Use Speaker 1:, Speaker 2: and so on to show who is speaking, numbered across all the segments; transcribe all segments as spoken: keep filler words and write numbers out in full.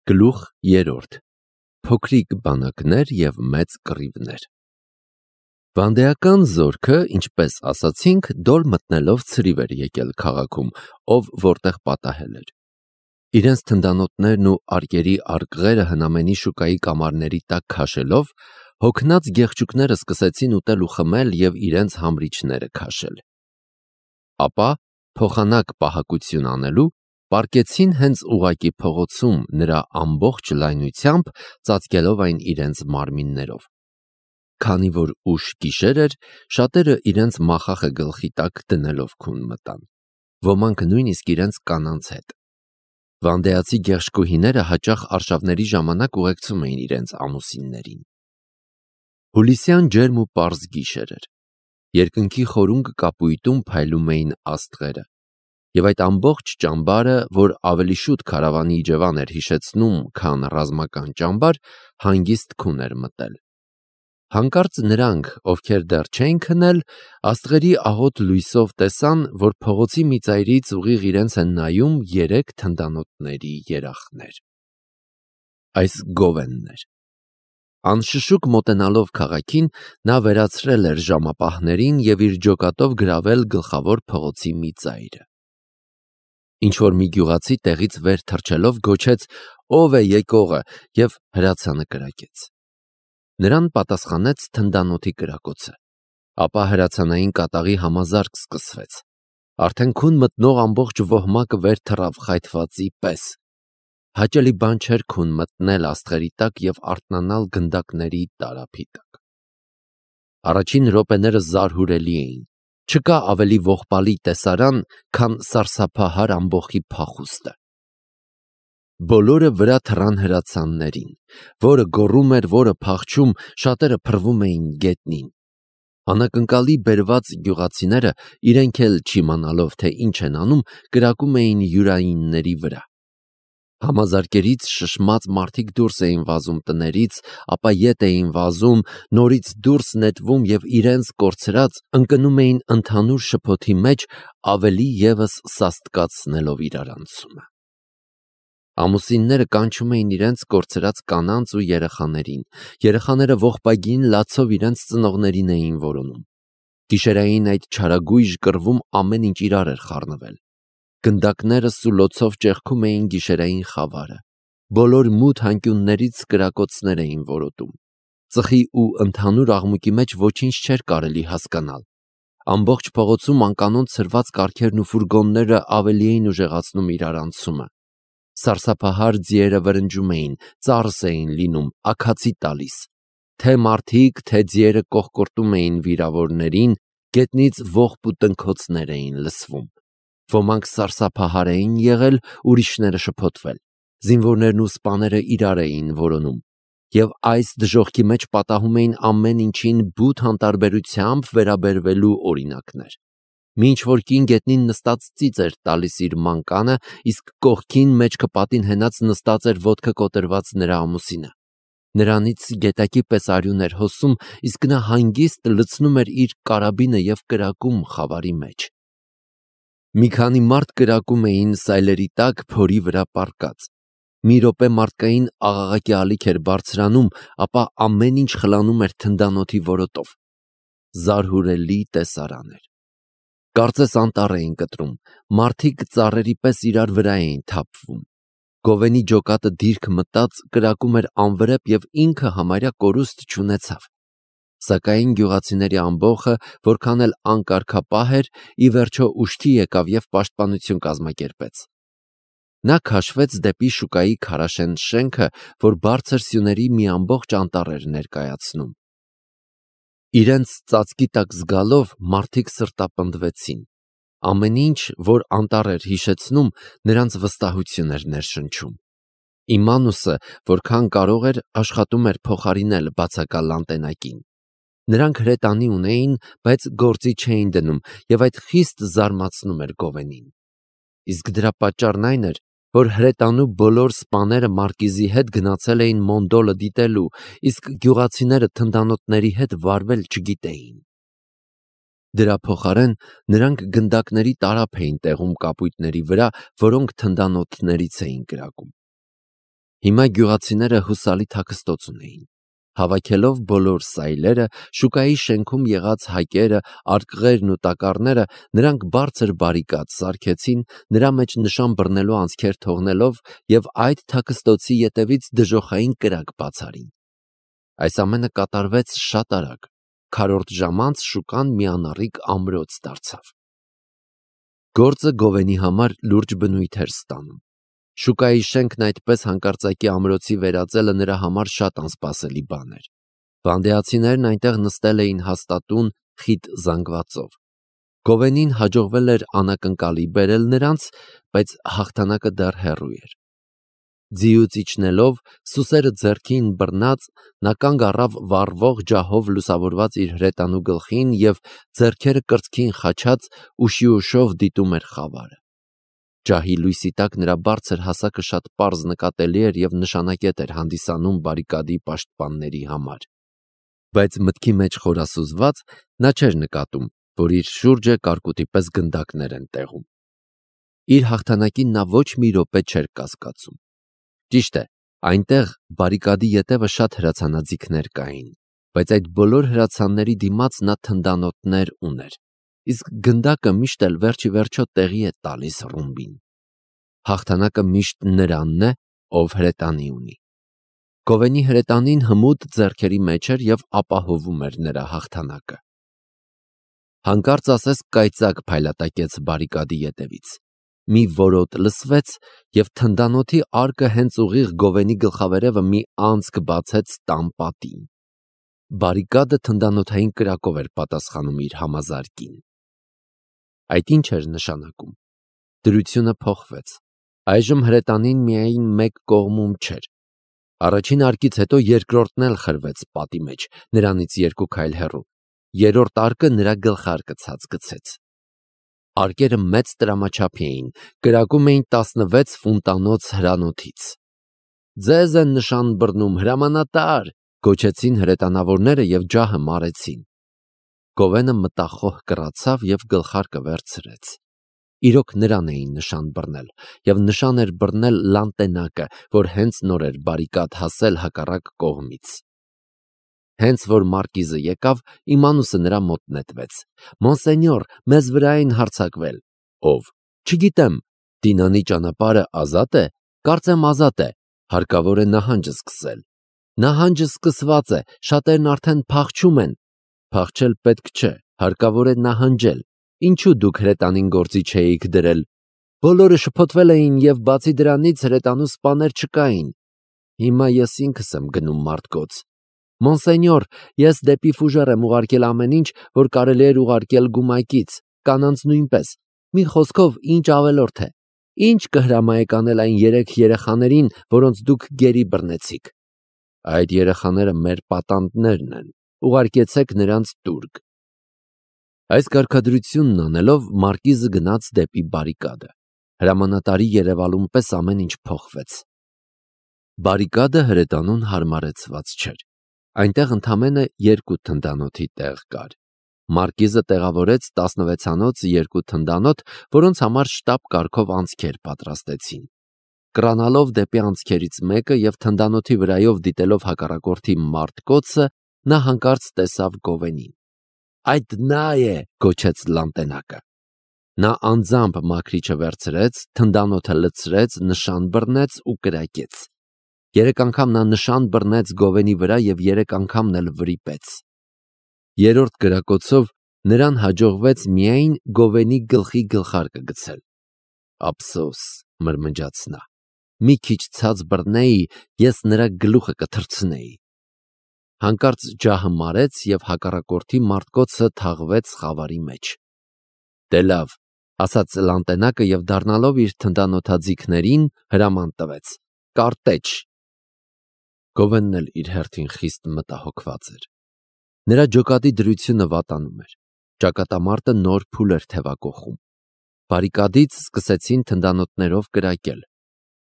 Speaker 1: Գլուխ երրորդ. Փոքրիկ բանակներ և մեծ կռիվներ։ Վանդեական զորքը, ինչպես ասացինք, դոլ մտնելով ցրիվ էր եկել քաղաքում, ով որտեղ պատահել էր։ Իրենց թնդանոթներն ու արկերի արկղերը հնամենի շուկայի կամարների տակ քաշելով, հոգնած գեղջուկները սկսեցին ուտել ու խմել և իրենց համրիչները քաշել։ Ապա, փոխանակ պահակություն անելու, պառկեցին հենց ուղղակի փողոցում նրա ամբողջ լայնությամբ, ծածկելով այն իրենց մարմիններով։ Քանի որ ուշ գիշեր էր, շատերը իրենց մախախը գլխի տակ դնելով քուն մտան, ոմանք նույնիսկ իրենց կանանց հետ։ Վանդեացի գեղշկուհիները հաճախ արշավների ժամանակ ուղեկցում էին իրենց ամուսիններին։ Հուլիսյան ջերմ ու պարզ գիշեր էր։ Երկնքի խորունկ կապույտում փայլում էին աստղերը, և այդ ամբողջ ճամբարը, որ ավելի շուտ քարավանի իջևան էր հիշեցնում, քան ռազմական ճամբար, հանգիստ քուն էր մտել։ Հանկարծ նրանք, ովքեր դեռ չէին քնել, աստղերի աղոտ լույսով տեսան, որ փողոցի մի ծայրից ուղիղ իրենց են նայում երեք թնդանոթների երախներ։ Այս Գովենն էր։ Անշշուկ մոտենալով քաղաքին, նա վերացրել էր ժամապահներին և իր ջոկատով գրավել գլխավոր փողոցի մի ծայրը։ Ինչ-որ մի գյուղացի տեղից վեր թռչելով գոչեց. «Ո՞վ է եկողը» և հրացանը կրակեց։ Նրան պատասխանեց թնդանոթի կրակոցը։ Ապա հրացանային կատաղի համազարկ սկսվեց։ Արդեն քուն մտնող ամբողջ ոհմակը վեր թռավ խայթվածի պես։ Հաճելի բան չէր քուն մտնել աստղերի տակ և արթնանալ գնդակների տարափի տակ։ Առաջին րոպեները զարհուրելի էին։ Չկա ավելի ողբալի տեսարան, քան սարսափահար ամբոխի փախուստը։ Բոլորը վրա թռան հրացաններին, որը գոռում էր, որը փախչում, շատերը փռվում էին գետնին։ Անակնկալի բերված գյուղացիները, իրենք էլ չիմանալով, թե ինչ են անում, կրակում էին յուրայինների վրա։ Համազարկերից շշմած մարդիկ դուրս էին վազում տներից, ապա ետ էին վազում, նորից դուրս նետվում և իրենց կորցրած ընկնում էին ընդհանուր շփոթի մեջ, ավելի ևս սաստկացնելով իրարանցումը։ Ամուսինները կանչում էին իրենց կորցրած կանանց ու երեխաներին, երեխաները ողբագին լացով իրենց ծնողներին էին որոնում։ Գիշերային այդ չարագույժ կռվում ամեն ինչ իրար էր խառնվել։ Գնդակները սուլոցով ճեղքում էին գիշերային խավարը։ Բոլոր մութ անկյուններից կրակոցներ էին որոտում։ Ծխի ու ընդհանուր աղմուկի մեջ ոչինչ չէր կարելի հասկանալ։ Ամբողջ փողոցում անկանոն ցրված կառքերն ու ֆուրգոնները ավելի էին ուժեղացնում իրարանցումը։ Սարսափահար ձիերը վրնջում էին, ծարս էին լինում, աքացի տալիս։ Թե մարդիկ, թե ձիերը կոխկորտում էին վիրավորներին, գետնից ողբ ու տնքոցներ էին լսվում։ Ոմանք սարսափահար էին եղել, ուրիշները շփոթվել։ Զինվորներն ու սպաները իրար էին որոնում։ Եվ այս դժոխքի մեջ պատահում էին ամեն ինչին բութ անտարբերությամբ վերաբերվելու օրինակներ։ Մինչ որ կին գետնին նստած ծիծ էր տալիս իր մանկանը, իսկ կողքին մեջքը պատին հենած նստած էր ոտքը կոտրված նրա ամուսինը։ Նրանից գետակի պես արյուն էր հոսում, իսկ նա հանգիստ լցնում էր իր կարաբինը և կրակում խավարի մեջ։ Մի քանի մարդ կրակում էին սայլերի տակ փորի վրա պառկած։ Մի րոպե մարդկային աղաղակի ալիք էր բարձրանում, ապա ամեն ինչ խլանում էր թնդանոթի որոտով։ Զարհուրելի տեսարան էր։ Կարծես անտառ էին կտրում, մարդիկ ծառերի պես իրար վրա էին թափվում։ Գովենի ջոկատը դիրք մտած կրակում էր անվրեպ և ինքը համարյա կորուստ չունեցավ։ Սակայն գյուղացիների ամբոխը, որքան էլ անկարգապահ էր, ի վերջո ուշքի եկավ և պաշտպանություն կազմակերպեց։ Նա քաշվեց դեպի շուկայի քարաշեն շենքը, որ բարձր սյուների մի ամբողջ անտառ էր ներկայացնում։ Իրենց ծածկի տակ զգալով մարդիկ սրտապնդվեցին։ Ամեն ինչ, որ անտառ էր հիշեցնում, նրանց վստահություն էր ներշնչում։ Իմանուսը, որքան կարող էր, աշխատում էր փոխարինել բացակալ անտենակին։ Նրանք հրետանի ունեին, բայց գործի չէին դնում, և այդ խիստ զարմացնում էր Գովենին։ Իսկ դրա պատճառն այն էր, որ հրետանու բոլոր սպաները մարկիզի հետ գնացել էին Մոնդոլը դիտելու, իսկ գյուղացիները թնդանոթների հետ վարվել չգիտեին։ Դրա փոխարեն նրանք գնդակների տարափ էին տեղում կապույտների վրա, որոնք թնդանոթներից էին կրակում։ Հիմա գյուղացիները հուսալի թաքստոց ունեին։ Հավաքելով բոլոր սայլերը, շուկայի շենքում եղած հայկերը, արկղերն ու տակառները, նրանք բարձր բարիկադ սարքեցին, նրա մեջ նշան բռնելու անցքեր թողնելով եւ այդ թաքստոցի ետևից դժոխային կրակ բացարին։ Այս ամենը կատարվեց շատ արագ։ Քառորդ ժամ անց շուկան մի անառիկ ամրոց դարձավ։ Գործը Գովենի համար լուրջ բնույթ էր ստանում։ Շուկայի շենքն այդպես հանկարծակի ամրոցի վերածելը նրա համար շատ անսպասելի բան էր։ Վանդեացիներն այնտեղ նստել էին հաստատուն խիտ զանգվածով։ Գովենին հաջողվել էր անակնկալի բերել նրանց, բայց հաղթանակը դեռ հեռու էր։ Ձիուց իջնելով, սուսերը ձեռքին բռնած, նա կանգ առավ վառվող ջահով լուսավորված իր հրետանու գլխին եւ ձեռքերը կրծքին խաչած ուշիուշով դիտում էր խավարը։ Ջահի լույսի տակ նրա բարձր հասակը շատ պարզ նկատելի էր եւ նշանակետ էր հանդիսանում բարիկադի պաշտպանների համար։ Բայց մտքի մեջ խորասուզված նա չէր նկատում, որ իր շուրջը կարկուտի պես գնդակներ են տեղում։ Իր հաղթանակին նա ոչ մի րոպե չէր կասկածում։ Ճիշտ է, այնտեղ բարիկադի ետևը շատ հրացանաձիգներ կային, բայց այդ բոլոր հրացանների դիմաց նա թնդանոթներ ուներ, իսկ գնդակը միշտ էլ վերջի վերջո տեղի է տալիս ռումբին։ Հաղթանակը միշտ նրանն է, ով հրետանի ունի։ Գովենի հրետանին հմուտ ձեռքերի մեջ էր եւ ապահովում էր նրա հաղթանակը։ Հանկարծ ասես կայծակ փայլատակեց բարիկադի ետևից։ Մի որոտ լսվեց եւ թնդանոթի արկը հենց ուղիղ Գովենի գլխավերևը մի անցք բացեց տան պատին։ Բարիկադը թնդանոթային կրակով էր պատասխանում իր համազարկին։ Այդ ինչ էր նշանակում։ Դրությունը փոխվեց։ Այժմ հրետանին միայն մեկ կողմում չէր։ Առաջին արկից հետո երկրորդն էլ խրվեց պատի մեջ, նրանից երկու քայլ հեռու։ Երրորդ արկը նրա գլխարկը ցած գցեց։ Արկերը մեծ տրամաչափի էին, կրակում էին տասնվեց ֆունտանոց հրանոթից։ Ձեզ են նշան բռնում, հրամանատար, գոչեցին հրետանավորները եւ ջահը մարեցին։ Գովենը մտախոհ կռացավ եւ գլխարկը վերցրեց։ Իրոք նրան էին նշան բռնել, եւ նշան էր բռնել լանտենակը, որ հենց նոր էր բարիկադ հասել հակառակ կողմից։ Հենց որ մարկիզը եկավ, իմանուսը նրա մոտ նետվեց։ Մոնսենյոր, մեզ վրա են հարձակվել։ Ով։ Չգիտեմ, Դինանի ճանապարհը ազատ է, կարծեմ ազատ է, հարկավոր է նահանջը սկսել։ Նահանջը սկսված է, շատերն արդեն փախչում են։ Փախչել պետք չէ, հարկավոր է նահանջել։ Ինչու դուք հրետանին գործի չէիք դրել։ Բոլորը շփոթվել էին եւ բացի դրանից հրետանու սպաներ չկային։ Հիմա ես ինքս եմ գնում մարդկոց։ Մոնսենյոր, ես դեպի Ֆուժեր եմ ուղարկել ամեն ինչ, որ կարելի էր ուղարկել գումակից, կանանց նույնպես։ Մի խոսքով, ինչ ավելորդ է։ Ինչ կհրամայեք անել այն երեք երեխաներին, որոնց դուք գերի բռնեցիք։ Այդ երեխաները մեր պատանդներն են։ Ուղարկեցեք նրանց տուրք։ Այս կարգադրությունն անելով մարկիզը գնաց դեպի բարիկադը։ Հրամանատարի երևալուն պես ամեն ինչ փոխվեց։ Բարիկադը հրետանուն հարմարեցված չէր։ Այնտեղ ընդամենը երկու թնդանոթի տեղ կար։ Մարկիզը տեղավորեց տասնվեցանոց երկու թնդանոթ, որոնց համար շտապ կարգով անցքեր պատրաստեցին։ Կրանալով դեպի անցքերից մեկը եւ թնդանոթի վրայով դիտելով հակառակորդի մարտկոցը, նա հանկարծ տեսավ Գովենին։ Այդ նա է, գոչեց լանտենակը։ Նա անձամբ մաքրիչը վերցրեց, թնդանոթը լցրեց, նշան բռնեց ու կրակեց։ Երեք անգամ նա նշան բռնեց Գովենի վրա եւ երեք անգամն էլ վրիպեց։ Երրորդ կրակոցով նրան հաջողվեց միայն Գովենի գլխի գլխարկը գցել։ Ափսոս, մրմնջաց նա։ Մի քիչ ցած բռնեի, ես նրա գլուխը կթռցնեի։ Հանկարծ ջահը մարեց եւ հակառակորդի մարտկոցը թաղվեց խավարի մեջ։ Դե լավ, ասաց լանտենակը եւ դառնալով իր թնդանոթաձիգներին հրաման տվեց. Կարտեջ։ Գովենն էլ իր հերթին խիստ մտահոգված էր։ Նրա ջոկատի դրությունը վատանում էր։ Ճակատամարտը նոր փուլ էր թևակողում։ Բարիկադից սկսեցին թնդանոթներով կրակել։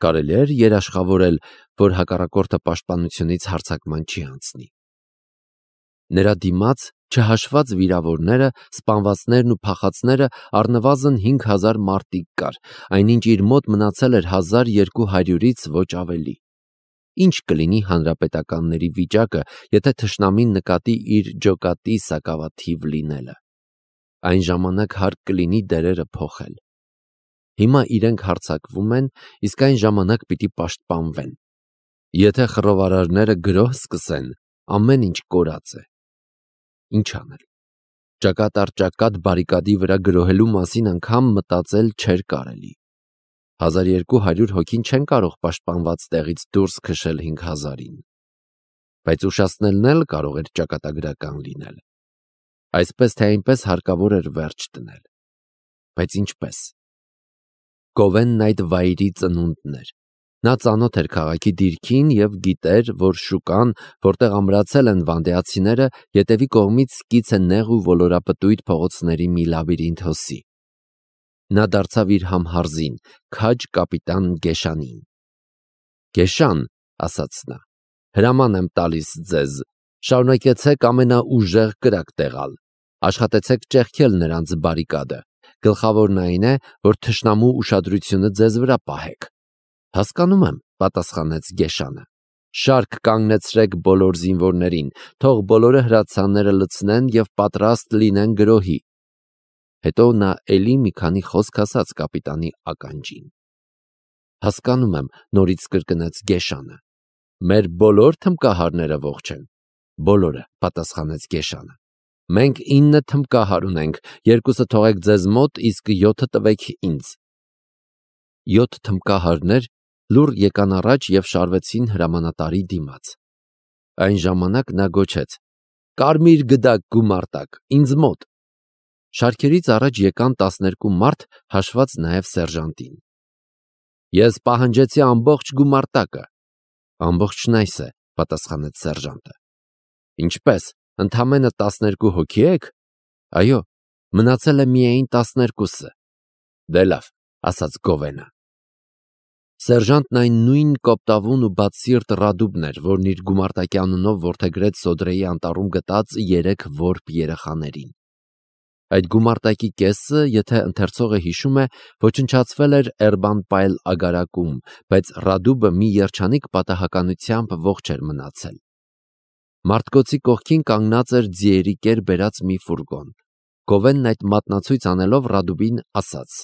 Speaker 1: Կարելի էր երաշխավորել, որ հակառակորդը պաշտպանությունից հարձակման չի անցնի։ Նրա դիմաց, չհաշված վիրավորները, սպանվածներն ու փախածները, առնվազն հինգ հազար մարդիկ կար, այնինչ իր մոտ մնացել էր հազար երկու հարյուրից ոչ ավելի։ Ինչ կլինի հանրապետականների վիճակը, եթե թշնամին նկատի իր ջոկատի սակավաթիվ լինելը։ Այն ժամանակ հարկ կլինի դերերը փոխել։ Հիմա իրենք հարձակվում են, իսկ այն ժամանակ պիտի պաշտպանվեն։ Եթե խռովարարները գրոհ սկսեն, ամեն ինչ կորած է։ Ինչ անել։ Ճակատ առ ճակատ բարիկադի վրա գրոհելու մասին անգամ մտածել չէր կարելի։ հազար երկու հարյուր հոգին չեն կարող պաշտպանված տեղից դուրս քշել հինգ հազարին։ Բայց ուշացնելն էլ կարող էր ճակատագրական լինել։ Այսպես թե այնպես հարկավոր էր վերջ դնել։ Բայց ինչպես։ Գովենն այդ վայրի ծնունդն էր։ Նա ծանոթ էր քաղաքի դիրքին և գիտեր, որ շուկան, որտեղ ամրացել են վանդեացիները, ետևի կողմից սկից է նեղ ու ոլորապտույտ փողոցների մի լաբիրինթ հոսի։ Նա դարձավ իր համհարզին, քաջ կապիտան Գեշանին։ Գեշան, ասաց նա, հրաման եմ տալիս ձեզ, շարունակեցեք ամենաուժեղ կրակ տեղալ, աշխատեցեք ճեղքել նրանց բարիկադը, գլխավորն այն է, որ թշնամու ուշադրությունը ձեզ վրա պահեք։ Հասկանում եմ, պատասխանեց Գեշանը, շարք կանգնեցրեք բոլոր զինվորներին, թող բոլորը հրացանները լցնեն և պատրաստ լինեն գրոհի։ Հետո նա էլի մի քանի խոսք ասաց կապիտանի ականջին։ Հասկանում եմ, նորից կրկնեց Գեշանը։ Մեր բոլոր թմկահարները ողջ են։ Բոլորը, պատասխանեց Գեշանը։ Մենք ինը թմկահար ունենք, երկուսը թողեք ձեզ մոտ, իսկ յոթը տվեք ինձ։ Յոթ թմկահարներ լուռ եկան առաջ և շարվեցին հրամանատարի դիմաց։ Այն ժամանակ նա գոչեց. «Կարմիր գդակ գումարտակ, ինձ մոտ»։ Շարքերից առաջ եկան տասներկու մարդ, հաշված նաև սերժանտին։ Ես պահանջեցի ամբողջ գումարտակը։ Ամբողջն այս է, պատասխանեց սերժանտը։ Ինչպես, ընդամենը տասներկու հոգի եք։ Այո, մնացել է միայն տասներկուսը։ Դե լավ, ասաց Գովենը։ Սերժանտն այն նույն կոպտավուն ու բացսիրտ Ռադուբն էր, որն իր գումարտակի անունով որդեգրեց Սոդրեի անտառում գտած երեք որբ երեխաներին։ Այդ գումարտակի կեսը, եթե ընթերցողը հիշում է, ոչնչացվել էր Էրբան-Պայլ ագարակում, բայց Ռադուբը մի երջանիկ պատահականությամբ ողջ էր մնացել։ Մարդկոցի կողքին կանգնած էր ձիերի կեր բերած մի ֆուրգոն։ Գովենն այդ մատնացույց անելով Ռադուբին ասաց.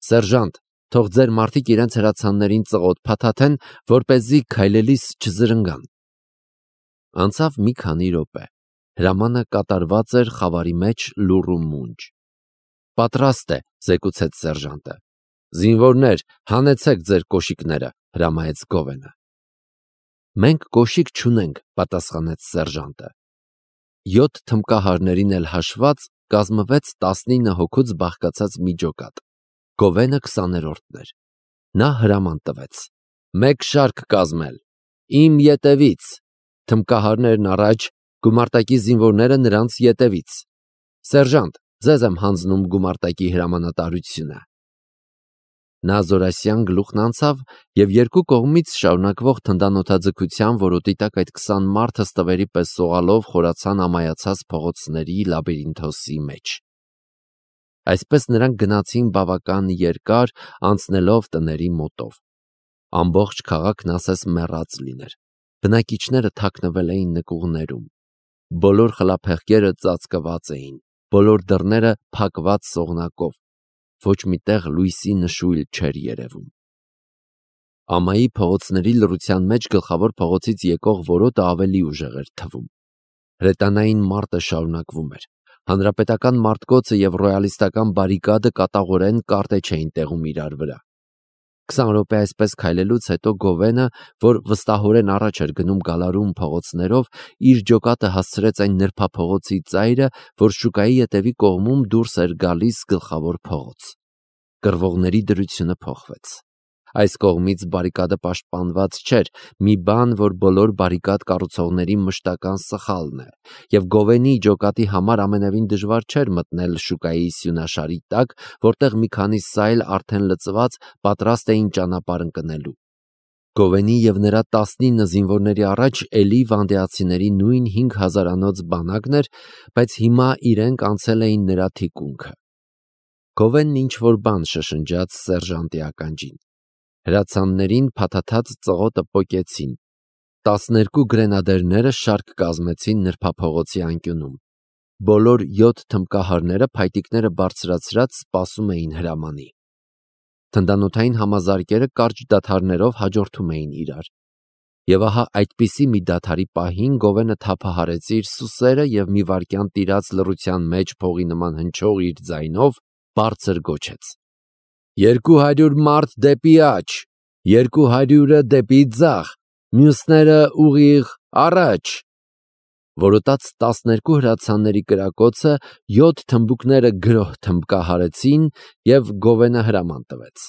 Speaker 1: «Սերժանտ, թող ձեր մարդիկ իրենց հրացաններին ծղոտ փաթաթեն, որպեսզի քայլելիս չզրնգան»։ Անցավ մի քանի րոպե։ Հրամանը կատարված էր խավարի մեջ լուռ ու մունջ։ Պատրաստ է, զեկուցեց սերժանտը։ Զինվորներ, հանեցեք ձեր կոշիկները, հրամայեց Գովենը։ Մենք կոշիկ չունենք, պատասխանեց սերժանտը։ Յոթ թմկահարներին էլ հաշված կազմվեց տասնինը հոգուց բաղկացած մի ջոկատ։ Գովենը քսաներորդն էր։ Նա հրաման տվեց. Մեկ շարք կազմել։ Իմ ետևից։ Թմկահարներն առաջ, գումարտակի զինվորները նրանց ետևից։ Սերժանտ, ձեզ եմ հանձնում գումարտակի հրամանատարությունը։ Նա զորասյան գլուխն անցավ և երկու կողմից շարունակվող թնդանոթաձգության որոտի տակ այդ քսան մարդը ստվերի պես սողալով խորացան ամայացած փողոցների լաբիրինթոսի մեջ։ Այսպես նրանք գնացին բավական երկար, անցնելով տների մոտով։ Ամբողջ քաղաքն ասես մեռած լիներ։ Բնակիչները թաքնվել էին նկուղներում։ Բոլոր խլափեղկերը ծածկված էին, բոլոր դռները փակված սողնակով։ Ոչ մի տեղ լույսի նշույլ չէր երևում։ Ամայի փողոցների լռության մեջ գլխավոր փողոցից եկող որոտը ավելի ուժեղ էր թվում։ Հրետանային մարտը շարունակվում էր։ Հանրապետական մարտկոցը և ռոյալիստական բարիկադը կատաղորեն կարտեչ էին տեղում իրար վրա։ Քսան րոպե այսպես քայլելուց հետո Գովենը, որ վստահորեն առաջ էր գնում գալարում փողոցներով, իր ջոկատը հասցրեց այն նրբափողոցի ծայրը, որ շուկայի ետևի կողմում դուրս էր գալիս գլխավոր փողոց։ Կռվողների դրությունը փոխվեց։ Այս կողմից բարիկադը պաշտպանված չէր, մի բան, որ բոլոր բարիկադ կառուցողների մշտական սխալն է, և Գովենի ջոկատի համար ամենևին դժվար չէր մտնել շուկայի սյունաշարի տակ, որտեղ մի քանի սայլ արդեն լցված պատրաստ էին ճանապարհ ընկնելու։ Գովենի և նրա տասնինը զինվորների առաջ էլի վանդեացիների նույն հինգ հազարանոց բանակն էր, բայց հիմա իրենք անցել էին նրա թիկունքը։ Գովենն ինչ-որ բան շշնջաց սերժանտի ականջին։ Հրացաններին փաթաթած ծղոտը պոկեցին, Տասներկու գրենադերները շարք կազմեցին նրբափողոցի անկյունում։ Բոլոր յոթ թմբկահարները փայտիկները բարձրացրած սպասում էին հրամանի։ Թնդանոթային համազարկերը կարճ դադարներով հաջորդում էին իրար։ Եվ ահա այդպիսի մի դադարի պահին Գովենը թափահարեց իր սուսերը և մի վայրկյան տիրած լռության մեջ փողի նման հնչող իր ձայնով բարձր գոչեց. «Երկու հարյուր մարդ դեպի աջ, երկու հարյուրը դեպի ձախ, մյուսները ուղիղ առաջ»։ Որոտաց տասներկու հրացանների կրակոցը յոթ թմբուկները գրոհ թմբկահարեցին և Գովենը հրաման տվեց.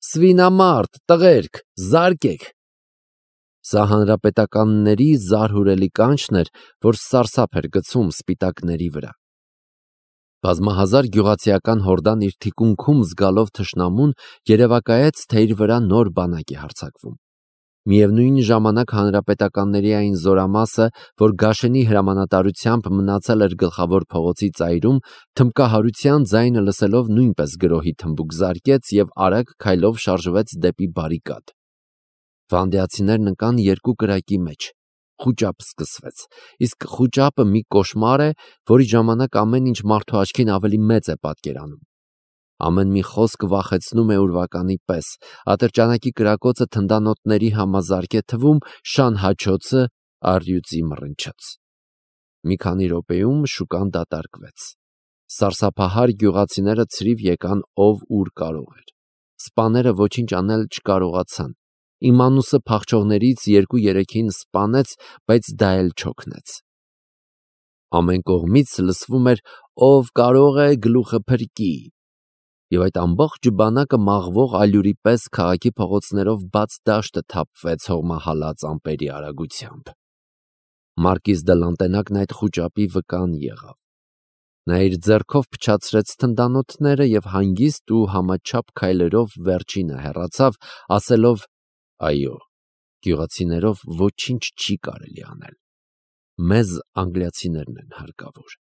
Speaker 1: «Սվինամարդ, տղերք, զարկեք»։ Սա հանրապետականների զարհուրելի կանչն էր, որ սարսափ էր գցում սպիտակների վրա։ Բազմահազար գյուղացիական հորդան իր թիկունքում զգալով թշնամուն երևակայեց, թե իր վրա նոր բանակ է հարձակվում։ Միևնույն ժամանակ հանրապետականների այն զորամասը, որ Գաշենի հրամանատարությամբ մնացել էր գլխավոր փողոցի ծայրում, թմբկահարության ձայնը լսելով նույնպես գրոհի թմբուկ զարկեց և արագ քայլով շարժվեց դեպի բարիկադ։ Վանդեացիներն ընկան երկու կրակի մեջ։ Խուճապ սկսվեց, իսկ խուճապը մի կոշմար է, որի ժամանակ ամեն ինչ մարդու աչքին ավելի մեծ է պատկերանում։ Ամեն մի խոսք վախեցնում է ուրվականի պես, ատրճանակի կրակոցը թնդանոթների համազարկ է թվում, շան հաչոցը առյուծի մռնչոց։ Մի քանի րոպեում շուկան դատարկվեց։ Սարսափահար գյուղացիները ցրիվ եկան ով ուր կարող էր։ Սպաները ոչինչ անել չկարողացան։ Իմանուսը փախչողներից երկու-երեքին սպանեց, բայց դա էլ չօգնեց։ Ամեն կողմից լսվում էր «ով կարող է գլուխը փրկի», և այդ ամբողջ բանակը մաղվող ալյուրի պես քաղաքի փողոցներով բաց դաշտը թափվեց հողմահալած ամպերի արագությամբ։ Մարկիզ դը Լանտենակն այդ խուճապի վկան եղավ։ Նա իր ձեռքով փչացրեց թնդանոթները և հանգիստ ու համաչափ քայլերով վերջինը հեռացավ, ասելով. «Այո, գյուղացիներով ոչինչ չի կարելի անել։ Մեզ անգլիացիներն են հարկավոր»։